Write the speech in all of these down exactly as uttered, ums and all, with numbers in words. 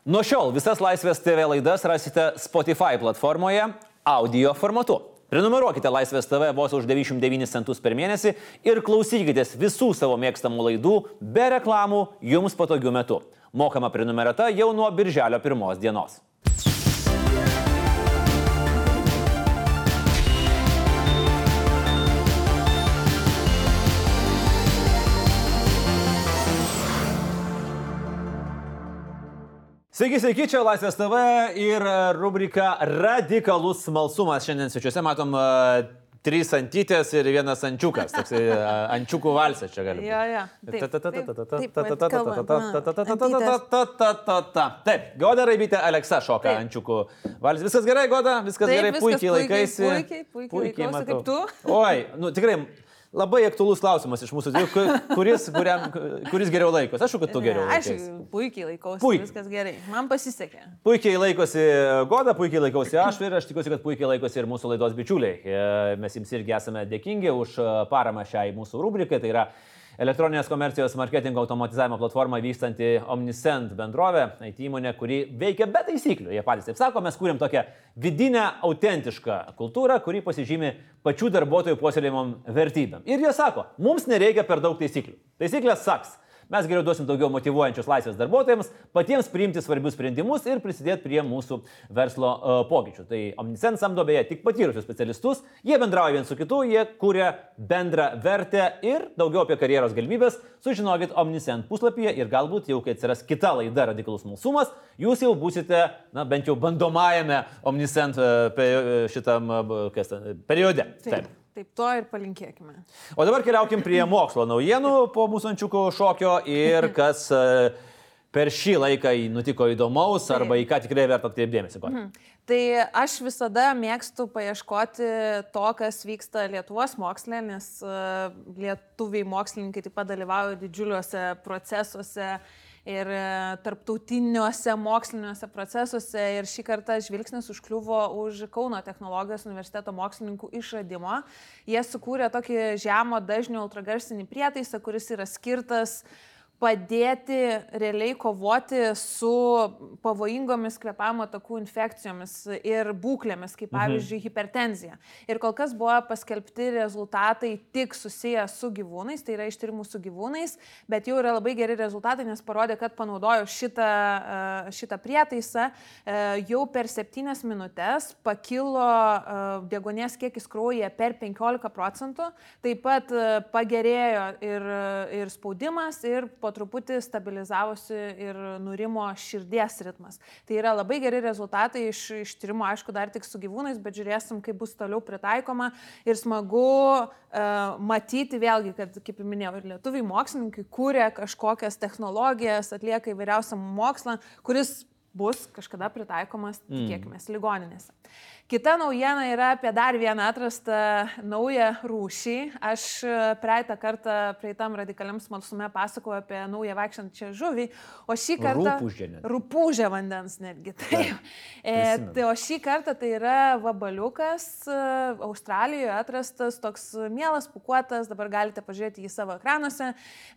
Nuo šiol visas Laisvės T V laidas rasite Spotify platformoje audio formatu. Prenumeruokite Laisvės T V vos už devyniasdešimt devynis centus per mėnesį ir klausykitės visų savo mėgstamų laidų be reklamų jums patogiu metu. Mokama prenumerata jau nuo birželio pirmos dienos. Sveiki, sveiki, čia Laisvės T V ir rubrika Radikalus smalsumas. Šiandien svečiuose matom uh, trys antytės ir vienas ančiukas. Toks uh, ančiukų valsas čia gali būti. Jo, jo. Taip, Goda Raibytė, Aleksa šoka ančiukų valsas. Viskas gerai, Goda? Viskas gerai, puikiai laikaisi. Puikiai, puikiai laikaisi. Kaip tu? Oi, nu tikrai... Labai aktualus klausimas iš mūsų, kuris, kuriam, kuris geriau laikosi. Aš, kad tu geriau laikosi. Aš puikiai laikausi, Puikiai. Viskas gerai. Man pasisekė. Puikiai laikosi Goda, puikiai laikosi aš ir aš tikiuosi, kad puikiai laikosi ir mūsų laidos bičiuliai. Mes jums irgi esame dėkingi už paramą šiai mūsų rubrikai. Tai yra elektroninės komercijos marketingo automatizavimo platforma vykstanti Omnisend bendrovė, I T įmonė, kuri veikia be taisyklių. Jie patys taip sako, mes kūrėm tokią vidinę, autentišką kultūrą, kuri pasižymi pačių darbuotojų puoselėjimom vertybėm. Ir jie sako, mums nereikia per daug taisyklių. Taisyklės saks. Mes geriau duosim daugiau motyvuojančios laisvės darbuotojams, patiems priimti svarbius sprendimus ir prisidėti prie mūsų verslo uh, pokyčių. Tai Omnisend samdo beje tik patyrusius specialistus, jie bendrauja vien su kitu, jie kuria bendrą vertę ir daugiau apie karjeros galimybės sužinokit Omnisend puslapyje ir galbūt jau, kai atsiras kita laida Radikalus smalsumas, jūs jau būsite, na, bent jau bandomajame Omnisend uh, šitam uh, kas, uh, periode. Taip. Taip. Taip to ir palinkėkime. O dabar keliaukim prie mokslo naujienų po mūsų ančiukų šokio ir kas per šį laiką nutiko įdomaus arba į ką tikrai verta atkreipti dėmesį. Mhm. Tai aš visada mėgstu paieškoti to, kas vyksta Lietuvos moksle, nes lietuviai mokslininkai taip pat dalyvauja didžiuliuose procesuose ir tarptautiniuose moksliniuose procesuose ir šį kartą žvilgsnis užkliuvo už Kauno technologijos universiteto mokslininkų išradimo. Jie sukūrė tokį žemo dažnio ultragarsinį prietaisą, kuris yra skirtas padėti realiai kovoti su pavojingomis kvėpavimo takų infekcijomis ir būklėmis, kaip pavyzdžiui hipertenzija. Ir kol kas buvo paskelbti rezultatai tik susiję su gyvūnais, tai yra iš tyrimų su gyvūnais, bet jau yra labai geri rezultatai, nes parodė, kad panaudojo šitą, šitą prietaisą, jau per septynias minutės pakilo deguonies kiekis kraujyje per penkiolika procentų, taip pat pagerėjo ir, ir spaudimas, ir po po truputį stabilizavosi ir nurimo širdies ritmas. Tai yra labai geri rezultatai iš, iš tyrimo, aišku, dar tik su gyvūnais, bet žiūrėsim, kaip bus toliau pritaikoma ir smagu uh, matyti vėlgi, kad, kaip minėjau, ir lietuviai mokslininkai kūrė kažkokias technologijas, atlieka įvairiausią mokslą, kuris bus kažkada pritaikomas, tikėkime, ligoninėse. Kita naujiena yra apie dar vieną atrastą naują rūšį. Aš praeitą kartą praeitam radikaliam smalsume pasakojau apie naują vaikštančią žuvį, o šį kartą... Rupūžė net. Rupūžė vandens netgi. Tai, e, tai, o šį kartą tai yra vabaliukas, Australijoje atrastas, toks mielas, pūkuotas, dabar galite pažiūrėti jį savo ekranuose.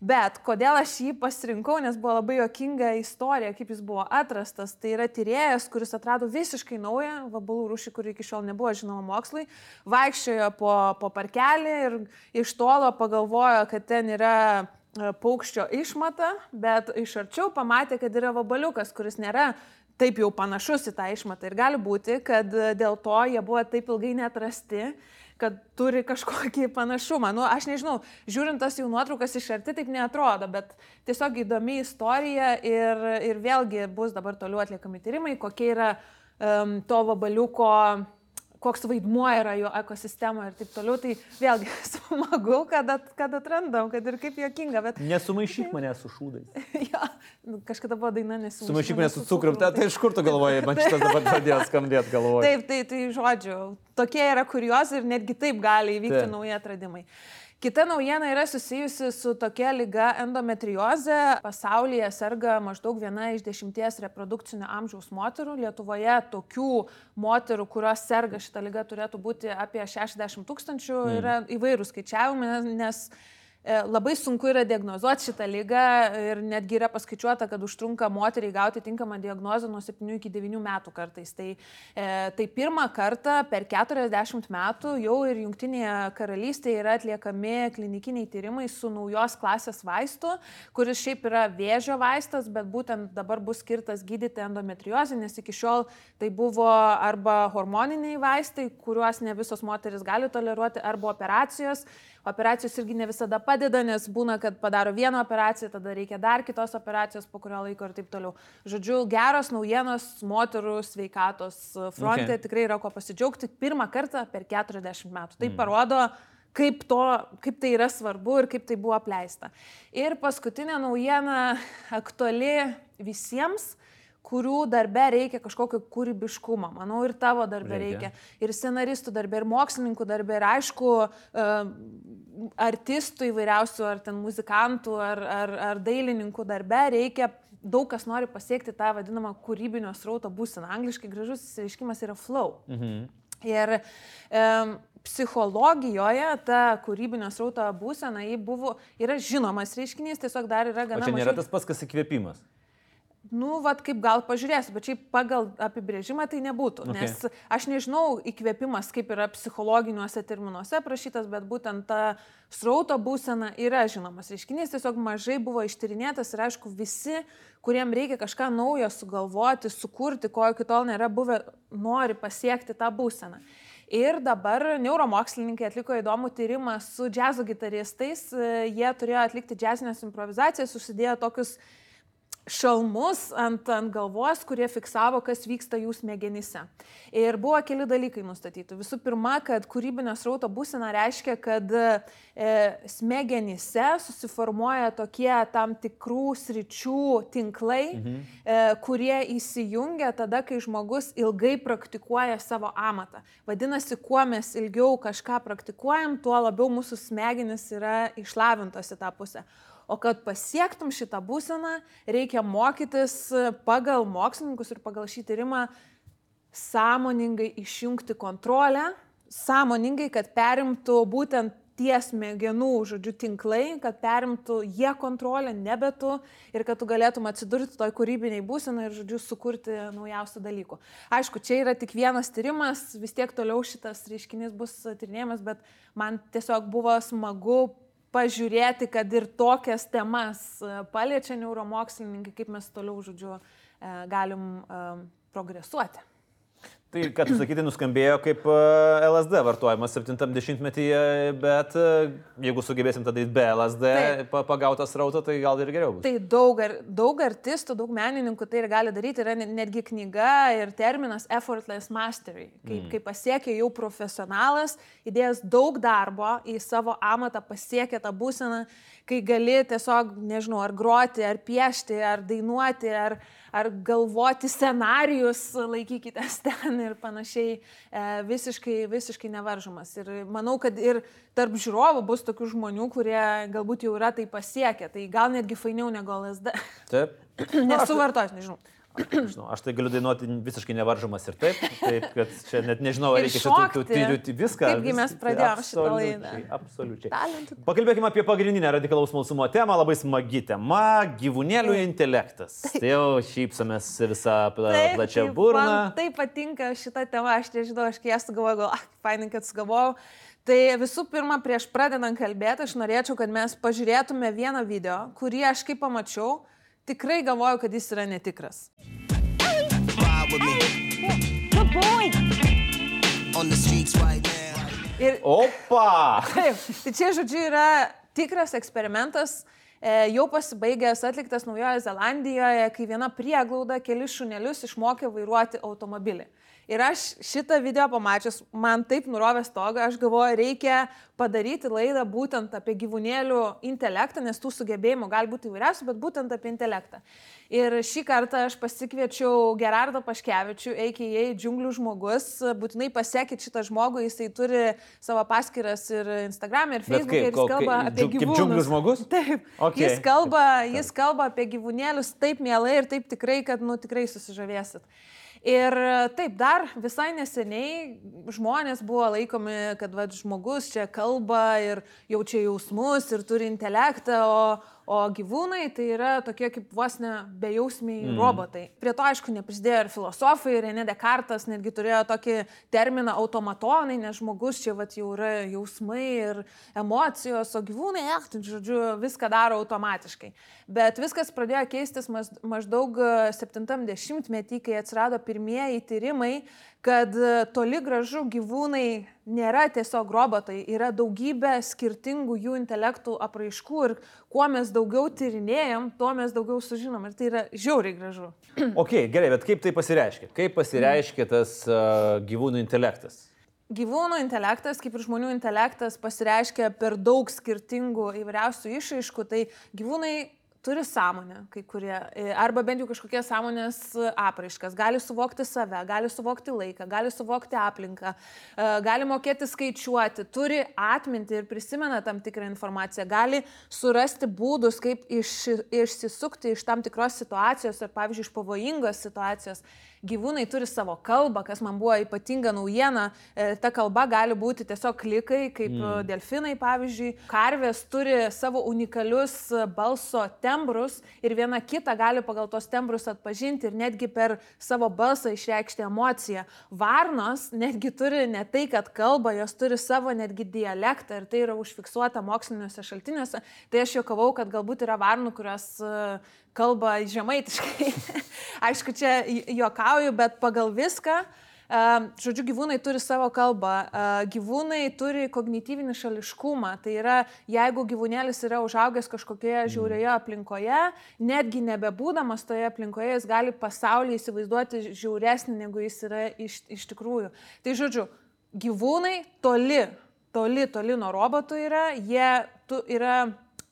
Bet kodėl aš jį pasirinkau, nes buvo labai juokinga istorija, kaip jis buvo atrastas. Tai yra tyrėjas, kuris atrado visiškai naują vabalų rūšį, kuri iki šiol nebuvo žinoma mokslui, vaikščiojo po, po parkelį ir iš tolo pagalvojo, kad ten yra paukščio išmata, bet iš arčiau pamatė, kad yra vabaliukas, kuris nėra taip jau panašus į tą išmatą. Ir gali būti, kad dėl to jie buvo taip ilgai neatrasti, kad turi kažkokį panašumą. Nu, aš nežinau, žiūrint tas jų nuotraukas iš arti, taip neatrodo, bet tiesiog įdomi istorija ir, ir vėlgi bus dabar toliau atliekami tyrimai, kokie yra um, to vabaliuko, koks vaidmuo yra jo ekosistemoje ir taip toliau. Tai vėlgi smagu, kad, at, kad atrandam, kad ir kaip juokinga. Bet... Nesumaišyk mane su šūdais. Ja, kažkada buvo daina nesumaišyk. Sumaišyk mane su cukrum. Tai, tai iš kur tu galvoji, man šitas dabar pradėjo skambėti galvoje. Taip, tai, tai žodžiu, tokie yra kuriozai ir netgi taip gali įvykti taip. nauji atradimai. Kita naujiena yra susijusi su tokia liga endometriozė. Pasaulyje serga maždaug viena iš dešimties reprodukcinio amžiaus moterų. Lietuvoje tokių moterų, kurios serga šitą ligą, turėtų būti apie šešiasdešimt tūkstančių. Mm. Yra įvairūs skaičiavimai, nes labai sunku yra diagnozuoti šitą lygą ir netgi yra paskaičiuota, kad užtrunka moteriai gauti tinkamą diagnozę nuo septynių iki devynių metų kartais. Tai, e, tai pirmą kartą per keturiasdešimt metų jau ir Jungtinėje karalystėje yra atliekami klinikiniai tyrimai su naujos klasės vaistu, kuris šiaip yra vėžio vaistas, bet būtent dabar bus skirtas gydyti endometriozę, nes iki šiol tai buvo arba hormoniniai vaistai, kuriuos ne visos moteris gali toleruoti, arba operacijos. Operacijos irgi ne visada padeda, nes būna, kad padaro vieną operaciją, tada reikia dar kitos operacijos po kurio laiko ir taip toliau. Žodžiu, geros naujienos moterų sveikatos fronte okay. Tikrai yra ko pasidžiaugti pirmą kartą per keturiasdešimt metų. Tai mm. parodo, kaip, to, kaip tai yra svarbu ir kaip tai buvo apleista. Ir paskutinė naujiena aktuali visiems, kurių darbe reikia kažkokio kūrybiškumo. Manau, ir tavo darbe reikia. reikia. Ir scenaristų darbe, ir mokslininkų darbe, ir aišku, artistų įvairiausių, ar ten muzikantų, ar, ar, ar dailininkų darbe reikia. Daug kas nori pasiekti tą vadinamą kūrybinio srauto būseną. Angliškai gražus išsireiškimas yra flow. Mhm. Ir um, psichologijoje ta kūrybinio srauto būsena buvo, yra žinomas reiškinys, tiesiog dar yra gana mažai. O čia nėra mažai... tas pats, kas įkvėpimas? Nu, vat kaip gal pažiūrėsiu, bet šiaip pagal apibrėžimą tai nebūtų, okay. Nes aš nežinau įkvėpimas, kaip yra psichologiniuose terminuose prašytas, bet būtent ta srauto būsena yra žinomas reiškinys, tiesiog mažai buvo ištyrinėtas ir aišku visi, kuriem reikia kažką naujo sugalvoti, sukurti, ko iki tol nėra buvę, nori pasiekti tą būseną. Ir dabar neuromokslininkai atliko įdomų tyrimą su džiazo gitaristais, jie turėjo atlikti džiazinės improvizacijas, susidėjo tokius šalmus ant, ant galvos, kurie fiksavo, kas vyksta jų smegenyse. Ir buvo keli dalykai nustatyti. Visų pirma, kad kūrybinio srauto būsena reiškia, kad e, smegenyse susiformuoja tokie tam tikrų sričių tinklai, mhm. e, kurie įsijungia tada, kai žmogus ilgai praktikuoja savo amatą. Vadinasi, kuo mes ilgiau kažką praktikuojam, tuo labiau mūsų smegenys yra išlavintos į tą pusę. O kad pasiektum šitą būseną, reikia mokytis pagal mokslininkus ir pagal šį tyrimą sąmoningai išjungti kontrolę, sąmoningai, kad perimtų būtent tie smegenų, žodžiu, tinklai, kad perimtų jie kontrolę, nebe tu, ir kad tu galėtum atsidurti toj kūrybiniai būsenai ir, žodžiu, sukurti naujausių dalykų. Aišku, čia yra tik vienas tyrimas, vis tiek toliau šitas reiškinys bus tyrinėjamas, bet man tiesiog buvo smagu pažiūrėti, kad ir tokias temas paliečia neuromokslininkai, kaip mes toliau, žodžiu, galim progresuoti. Tai, ką tu sakyti, nuskambėjo kaip L S D vartojimas septintam dešimtmetyje, bet jeigu sugebėsim tą daryti be L S D pagautą srautą, tai gal ir geriau bus. Tai daug, daug artistų, daug menininkų tai ir gali daryti, yra netgi knyga ir terminas effortless mastery, kaip, mm. kaip pasiekė jau profesionalas, įdėjęs daug darbo į savo amatą, pasiekė tą būseną, kai gali tiesiog, nežinau, ar groti, ar piešti, ar dainuoti, ar, ar galvoti scenarijus, laikykitės ten ir panašiai, e, visiškai, visiškai nevaržomas. Ir manau, kad ir tarp žiūrovų bus tokių žmonių, kurie galbūt jau yra tai pasiekę. Tai gal netgi fainiau negu L S D. Taip. Nesu vartojęs, nežinau. Žinau, aš tai galiu dainuoti visiškai nevaržomas ir taip, taip kad čia net nežinau, ar reikia šitų tyrių viską. Taipgi mes pradėjome šitą laidą. Absoliučiai. Pakalbėkime apie pagrindinę radikalaus smalsumo temą, labai smagi tema - gyvūnėlių intelektas. Tai jau šypsomės visą plačią burną. Man taip patinka šita tema, aš nežinau, aš kai ją sugalvojau, gal, ah, fainai, kad sugalvojau. Tai visų pirma, prieš pradedant kalbėti, aš norėčiau, kad mes pažiūrėtume vieną video, kurį aš kaip pamačiau, tikrai galvoju, kad jis yra netikras. Ir, Opa! Taip, tai čia, žodžiu, yra tikras eksperimentas, e, jau pasibaigęs, atliktas Naujojoje Zelandijoje, kai viena prieglauda kelis šunelius išmokė vairuoti automobilį. Ir aš šitą video pamačius, man taip nurovė stogą, aš galvoju, reikia padaryti laidą būtent apie gyvūnėlių intelektą, nes tų sugebėjimų gali būti įvairiausių, bet būtent apie intelektą. Ir šį kartą aš pasikviečiau Gerardą Paškevičių, a k a. Džiunglių žmogus. Būtinai pasiekit šitą žmogų, jisai turi savo paskyras ir Instagram, ir Facebook, ir jis kalba apie gyvūnus. Kaip džiunglių žmogus? Taip. Okay. Jis, kalba, jis kalba apie gyvūnėlius taip mielai ir taip tikrai, kad nu, tikrai susižavėsit. Ir taip, dar visai neseniai žmonės buvo laikomi, kad va, žmogus čia kalba ir jaučia jausmus ir turi intelektą, o, o gyvūnai tai yra tokie kaip vos ne bejausmiai mm. robotai. Prie to, aišku, neprisidėjo ir filosofai, René Descartes netgi turėjo tokį terminą automatonai, nes žmogus čia va, jau yra jausmai ir emocijos, o gyvūnai, eh, tai, žodžiu, viską daro automatiškai. Bet viskas pradėjo keistis maždaug septintam dešimtmetį, kai atsirado pirmieji tyrimai, kad toli gražu gyvūnai nėra tiesiog robotai, yra daugybė skirtingų jų intelektų apraiškų ir kuo mes daugiau tyrinėjom, tuo mes daugiau sužinom ir tai yra žiauriai gražu. Ok, gerai, bet kaip tai pasireiškia? Kaip pasireiškia tas uh, gyvūnų intelektas? Gyvūnų intelektas, kaip ir žmonių intelektas, pasireiškia per daug skirtingų įvairiausių išraiškų, tai gyvūnai turi sąmonę, kai kurie, arba bent jau kažkokie sąmonės apraiškas, gali suvokti save, gali suvokti laiką, gali suvokti aplinką, gali mokėti skaičiuoti, turi atminti ir prisimena tam tikrą informaciją, gali surasti būdus, kaip iš, išsisukti iš tam tikros situacijos ar, pavyzdžiui, iš pavojingos situacijos. Gyvūnai turi savo kalbą, kas man buvo ypatinga naujiena, ta kalba gali būti tiesiog klikai, kaip mm. delfinai, pavyzdžiui. Karvės turi savo unikalius balso tembrus ir viena kitą gali pagal tos tembrus atpažinti ir netgi per savo balsą išreikšti emociją. Varnos netgi turi ne tai, kad kalba, jos turi savo netgi dialektą ir tai yra užfiksuota moksliniuose šaltiniuose. Tai aš juokavau, kad galbūt yra varnų, kurios kalba žemaitiškai. Aišku, čia juokauju, bet pagal viską, žodžiu, gyvūnai turi savo kalbą, gyvūnai turi kognityvinį šališkumą, tai yra, jeigu gyvūnėlis yra užaugęs kažkokioje žiaurioje aplinkoje, netgi nebebūdamas toje aplinkoje, jis gali pasaulį įsivaizduoti žiauresnį, negu jis yra iš, iš tikrųjų. Tai žodžiu, gyvūnai toli, toli, toli nuo robotų yra, jie tu, yra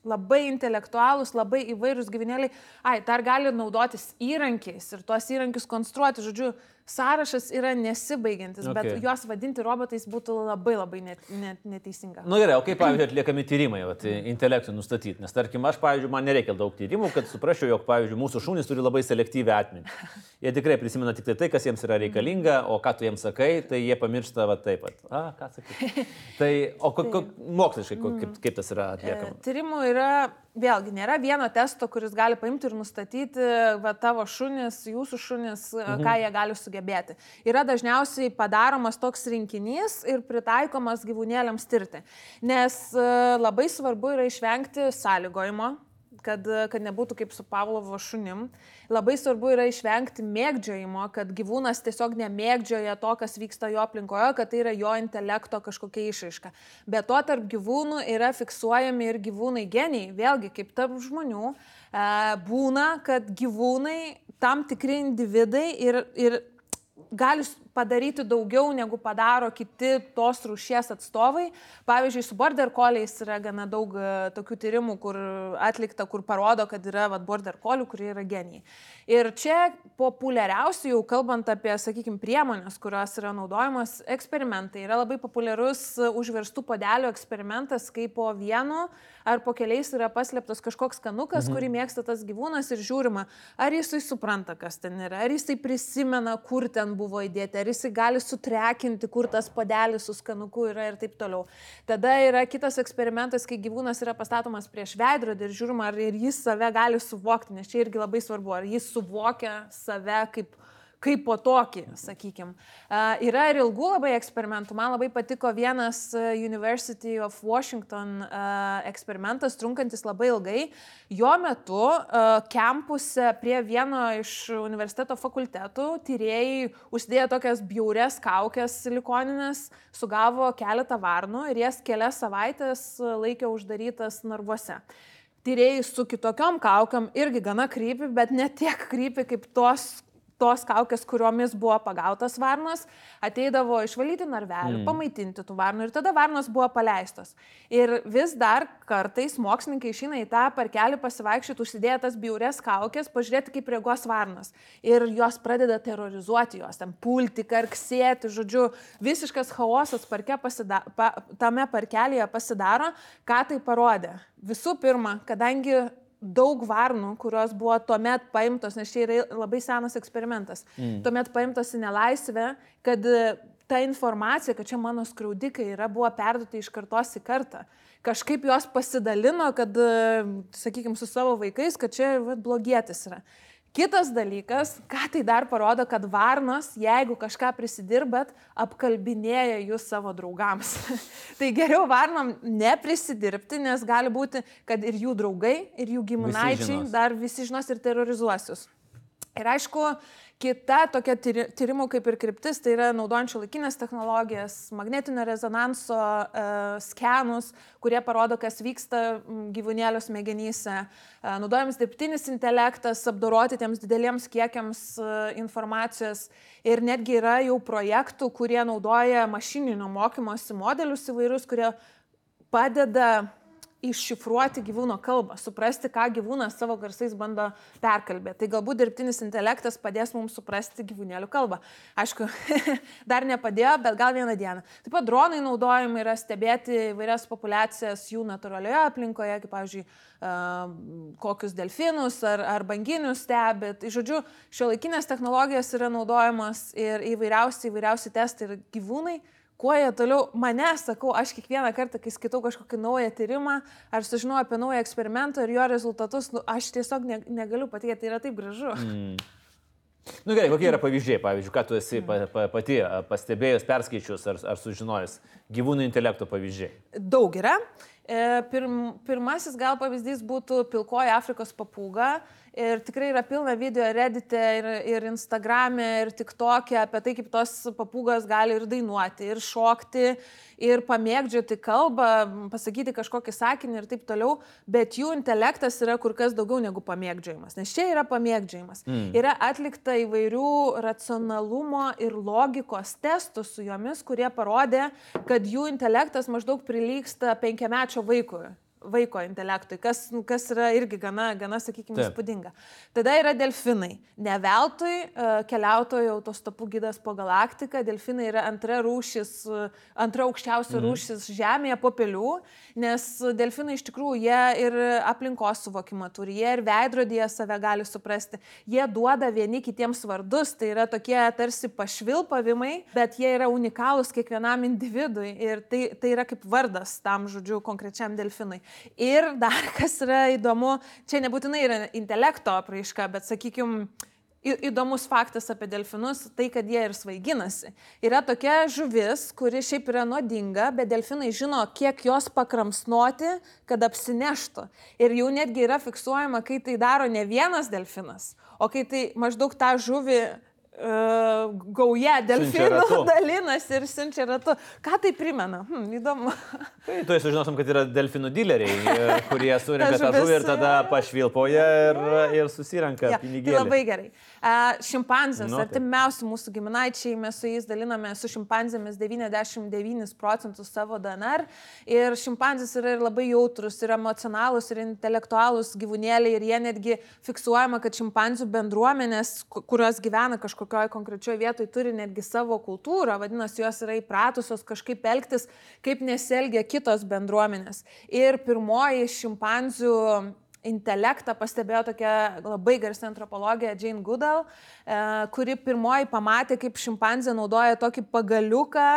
labai intelektualūs, labai įvairūs gyvūnėliai. Ai, dar gali naudotis įrankiais ir tuos įrankius konstruoti. Žodžiu, sąrašas yra nesibaigiantis, okay. Bet juos vadinti robotais būtų labai labai net, net, neteisinga. Na nu, gerai, o kaip, pavyzdžiui, atliekami tyrimai, vat, intelektui nustatyti? Nes, tarkim, aš, pavyzdžiui, man nereikia daug tyrimų, kad suprasčiau, jog, pavyzdžiui, mūsų šunys turi labai selektyvią atmintį. Jie tikrai prisimena tik tai tai, kas jiems yra reikalinga, o ką tu jiems sakai, tai jie pamiršta va taip pat. A, ką sakai? Tai, o ko, ko, moksliškai, ko, kaip, kaip tas yra atliekama? E, tyrimų yra, vėlgi, nėra vieno testo, kuris gali paimti ir nustatyti va, tavo šunis, jūsų šunis, mhm. ką jie gali sugebėti. Yra dažniausiai padaromas toks rinkinys ir pritaikomas gyvūnėliams tirti. Nes labai svarbu yra išvengti sąlygojimo, kad, kad nebūtų kaip su Pavlovo šunim. Labai svarbu yra išvengti mėgdžiojimo, kad gyvūnas tiesiog nemėgdžioja to, kas vyksta jo aplinkoje, kad tai yra jo intelekto kažkokia išraiška. Be to, tarp gyvūnų yra fiksuojami ir gyvūnai geniai. Vėlgi, kaip tarp žmonių, būna, kad gyvūnai, tam tikri individai ir, ir gali padaryti daugiau, negu padaro kiti tos rūšies atstovai. Pavyzdžiui, su border collies yra gana daug tokių tyrimų, kur atlikta, kur parodo, kad yra vat, border collių, kurie yra genijai. Ir čia populiariausiai, jau kalbant apie, sakykime, priemonės, kurios yra naudojamos, eksperimentai. Yra labai populiarus užverstų puodelių eksperimentas, kai po vienu ar po keliais yra paslėptas kažkoks skanukas, mhm. kurį mėgsta tas gyvūnas ir žiūrima, ar jisai supranta, kas ten yra, ar jisai prisimena, kur ten buvo įdėti, ar jisai gali sutrekinti, kur tas puodelis su skanuku yra ir taip toliau. Tada yra kitas eksperimentas, kai gyvūnas yra pastatomas prieš veidrodį ir žiūrima, ar ir jis save gali suvokti, nes čia irgi labai svarbu, ar jis suvokia save kaip kaip po tokį, sakykime. Uh, yra ir ilgų labai eksperimentų. Man labai patiko vienas University of Washington uh, eksperimentas, trunkantis labai ilgai. Jo metu uh, kampuse prie vieno iš universiteto fakultetų tyrėjai užsidėjo tokias bjaurias kaukės silikoninės, sugavo keletą varnų ir jas kelias savaitės laikė uždarytas narvuose. Tyrėjai su kitokiom kaukiam irgi gana krypi, bet ne tiek krypi kaip tos tos kaukės, kuriomis buvo pagautas varnos, ateidavo išvalyti narvelių, mm. pamaitinti tų varnų ir tada varnos buvo paleistos. Ir vis dar kartais mokslininkai išeina į tą parkelį pasivaikščioti, užsidėję tas bjaurias kaukės, pažiūrėti, kaip reaguos varnos. Ir jos pradeda terrorizuoti jos, ten pulti, karksėti, žodžiu, visiškas chaosas parke pasida, pa, tame parkelėje pasidaro. Ką tai parodė? Visų pirma, kadangi daug varnų, kurios buvo tuomet paimtos, nes čia yra labai senas eksperimentas, mm. tuomet paimtos į nelaisvę, kad ta informacija, kad čia mano skriaudikai yra, buvo perduota iš kartos į kartą. Kažkaip jos pasidalino, kad, sakykime, su savo vaikais, kad čia va, blogietis yra. Kitas dalykas, ką tai dar parodo, kad varnos, jeigu kažką prisidirbat, apkalbinėja jūs savo draugams. Tai geriau varnom neprisidirbti, nes gali būti, kad ir jų draugai, ir jų giminaičiai visi dar visi žinos ir terrorizuos jūs. Ir aišku, kita tokia tyrimų kaip ir kryptis, tai yra naudojant šiuolaikinės technologijas, magnetinio rezonanso e, skenus, kurie parodo, kas vyksta gyvūnėlio smegenyse. E, naudojamas dirbtinis intelektas, apdoroti tiems dideliems kiekiams e, informacijos. Ir netgi yra jau projektų, kurie naudoja mašininio mokymosi modelius įvairius, kurie padeda iššifruoti gyvūno kalbą, suprasti, ką gyvūnas savo garsais bando perkalbėti. Tai galbūt dirbtinis intelektas padės mums suprasti gyvūnėlių kalbą. Aišku, dar nepadėjo, bet gal vieną dieną. Taip pat dronai naudojami yra stebėti įvairias populiacijas jų natūralioje aplinkoje, kaip, pavyzdžiui, kokius delfinus ar, ar banginius stebėt. Žodžiu, šiuolaikinės technologijos yra naudojamos ir įvairiausi, įvairiausi testai ir gyvūnai. Kuo jie toliau, mane, sakau, aš kiekvieną kartą, kai skaitau kažkokį naują tyrimą, ar sužinau apie naują eksperimentą ir jo rezultatus, nu, aš tiesiog ne, negaliu patikėti, tai yra taip gražu. Mm. Nu gerai, kokie yra pavyzdžiai, pavyzdžiui, ką tu esi pa, pa, pati pastebėjus, perskaičius ar, ar sužinojus gyvūnų intelekto pavyzdžiai? Daug yra. Pirm, pirmasis gal pavyzdys būtų pilkoji Afrikos papūga. Ir tikrai yra pilna video Reddit'e ir, ir Instagram'e ir TikTok'e apie tai, kaip tos papūgos gali ir dainuoti, ir šokti, ir pamėgdžioti kalbą, pasakyti kažkokį sakinį ir taip toliau, bet jų intelektas yra kur kas daugiau negu pamėgdžiojimas, nes čia yra pamėgdžiojimas. Mm. Yra atlikta įvairių racionalumo ir logikos testų su jomis, kurie parodė, kad jų intelektas maždaug prilygsta penkiamečio vaikui. vaiko intelektui, kas, kas yra irgi gana, gana sakykime, įspūdinga. Tada yra delfinai. Ne veltui keliautojų autostopų gidas po galaktiką. Delfinai yra antra rūšis, antra aukščiausia rūšis mm. Žemėje po pelių, nes delfinai iš tikrųjų jie ir aplinkos suvokimą turi, jie ir veidrodyje save gali suprasti. Jie duoda vieni kitiems vardus, tai yra tokie tarsi pašvilpavimai, bet jie yra unikalūs kiekvienam individui ir tai, tai yra kaip vardas tam, žodžiu, konkrečiam delfinui. Ir dar kas yra įdomu, čia nebūtinai yra intelekto apraiška, bet, sakykime, įdomus faktas apie delfinus, tai kad jie ir svaiginasi. Yra tokia žuvis, kuri šiaip yra nuodinga, bet delfinai žino, kiek jos pakramsnoti, kad apsineštų. Ir jau netgi yra fiksuojama, kai tai daro ne vienas delfinas, o kai tai maždaug tą žuvį Uh, gauja delfinų dalinasi ir siunčia ratu. Ką tai primena? Hm, įdomu. Tai tu sužinosim, kad yra delfinų dileriai, kurie surenka tą žuvį ir tada pašvilpoja ir, ir susirenka ja, pinigėlį. Tai labai gerai. Uh, šimpanzės, nu, artimiausi mūsų giminaičiai, mes su jais daliname su šimpanzėmis devyniasdešimt devynis procentus savo D N R ir šimpanzės yra ir labai jautrus, ir emocionalūs, ir intelektualūs gyvūnėliai ir jie netgi fiksuojama, kad šimpanzių bendruomenės, kurios gyvena kažkokioj konkrečioje vietoje, turi netgi savo kultūrą, vadinasi, jos yra įpratusios kažkaip elgtis, kaip nesielgia kitos bendruomenės. Ir pirmoji šimpanzių intelektą pastebėjo tokia labai garsi antropologė Jane Goodall, kuri pirmoji pamatė, kaip šimpanzė naudoja tokį pagaliuką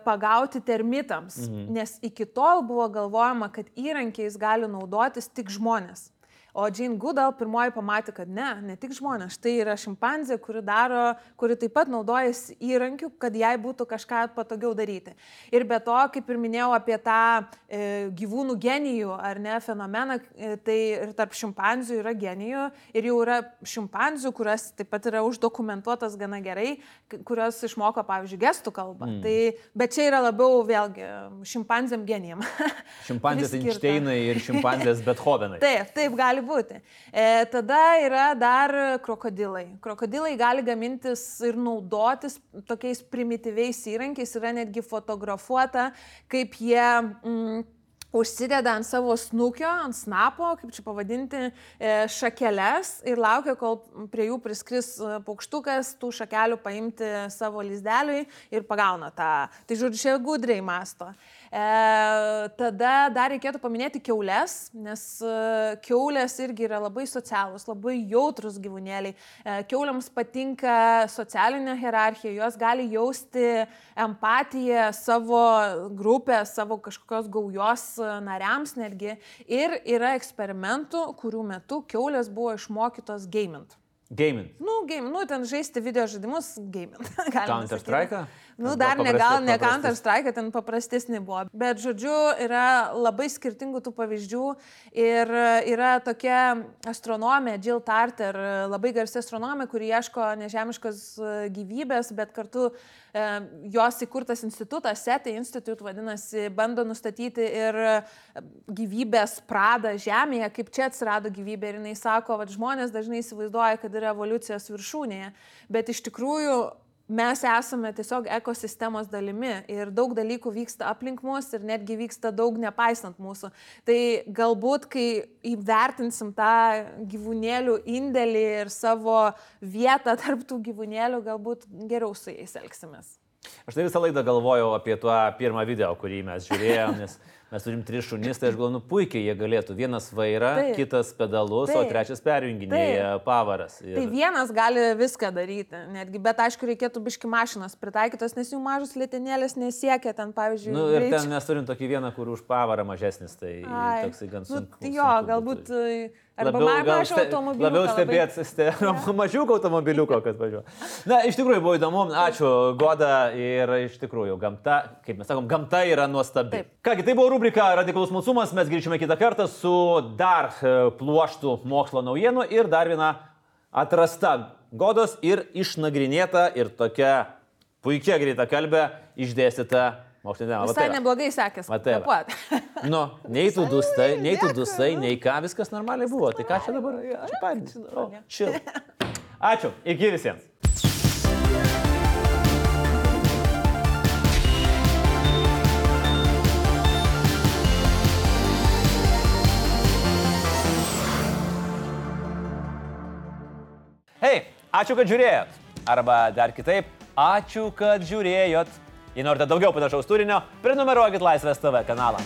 pagauti termitams, mhm. nes iki tol buvo galvojama, kad įrankiais gali naudotis tik žmonės. O Jane Goodall pirmoji pamatė, kad ne, ne tik žmonės. Tai yra šimpanzė, kuri daro, kuri taip pat naudojasi įrankiu, kad jai būtų kažką patogiau daryti. Ir be to, kaip ir minėjau apie tą e, gyvūnų genijų ar ne fenomeną, e, tai ir tarp šimpanzių yra genijų ir jau yra šimpanzių, kurios taip pat yra uždokumentuotas gana gerai, kurios išmoko, pavyzdžiui, gestų kalbą. Mm. Tai, bet čia yra labiau vėlgi šimpanzėm genijam. Šimpanzės Einšteinai ir šimpanzės Bethovenai. Taip, taip gali būti. E, tada yra dar krokodilai. Krokodilai gali gamintis ir naudotis tokiais primityviais įrankiais, yra netgi fotografuota, kaip jie... Mm, užsideda ant savo snukio, ant snapo, kaip čia pavadinti, šakeles ir laukia, kol prie jų priskris paukštukas, tų šakelių paimti savo lizdeliui ir pagauna tą. Tai žodžiu, čia gudriai masto. E, tada dar reikėtų paminėti kiaules, nes kiaulės irgi yra labai socialūs, labai jautrus gyvūnėliai. E, kiauliams patinka socialinė hierarchija, jos gali jausti empatiją savo grupės, savo kažkokios gaujos nariams netgi. Ir yra eksperimentų, kurių metu kiaulės buvo išmokytos gamint. Gaming. Nu, game, nu, ten žaisti video žaidimus, gaming. Counter-Strike? Nu, dar ne, gal ne Counter-Strike, ten paprastesnė buvo. Bet, žodžiu, yra labai skirtingų tų pavyzdžių ir yra tokia astronomė, Jill Tarter, labai garsi astronomė, kuri ieško nežemiškos gyvybės, bet kartu e, jos įkurtas institutas, SETI Institute vadinasi, bando nustatyti ir gyvybės pradą Žemėje, kaip čia atsirado gyvybė. Ir jinai sako, kad žmonės dažnai įsivaizduoja, kad yra evoliucijos viršūnėje, bet iš tikrųjų mes esame tiesiog ekosistemos dalimi ir daug dalykų vyksta aplink mus ir netgi vyksta daug nepaisant mūsų. Tai galbūt, kai įvertinsim tą gyvūnėlių indėlį ir savo vietą tarp tų gyvūnėlių, galbūt geriau su jais elgsimės. Aš tai visą laidą galvojau apie tuo pirmą video, kurį mes žiūrėjom, nes mes turim tris šunis, tai aš galvoju, nu puikiai jie galėtų. Vienas vairą, taip, kitas pedalus, taip, o trečias perjunginėja pavaras. Ir... Tai vienas gali viską daryti, netgi, bet aišku, reikėtų biški mašinas pritaikytos, nes jų mažus lėtinėlės nesiekia ten, pavyzdžiui. Nu, ir ten mes turim tokį vieną, kur už pavarą mažesnis, tai Ai. Toksai gan sunku. Nu, jo, sunku galbūt... Būtų. Arba mažiau automobiliuko. Labiau stebėt, ste, mažiuko automobiliuko, kad važiuoja. Na, iš tikrųjų buvo įdomu. Ačiū, Goda. Ir iš tikrųjų, gamta, kaip mes sakom, gamta yra nuostabi. Taip. Kągi, tai buvo rubrika Radikalus smalsumas. Mes grįžime kitą kartą su dar pluoštų mokslo naujienų ir dar viena atrasta Godos ir išnagrinėta ir tokia puikia greita kalbė išdėstyta mokslinė tema. Visai neblogai sekės. Nu, nei tu dustai, nei tu dustai, nei ką, viskas normaliai buvo. Tai ką čia dabar? Čia pavyzdys. O, chill. Ačiū, iki visiems. Hei, ačiū, kad žiūrėjot. Arba dar kitaip, ačiū, kad žiūrėjot. Jei norite daugiau panašaus turinio, prenumeruokit Laisvės T V kanalą.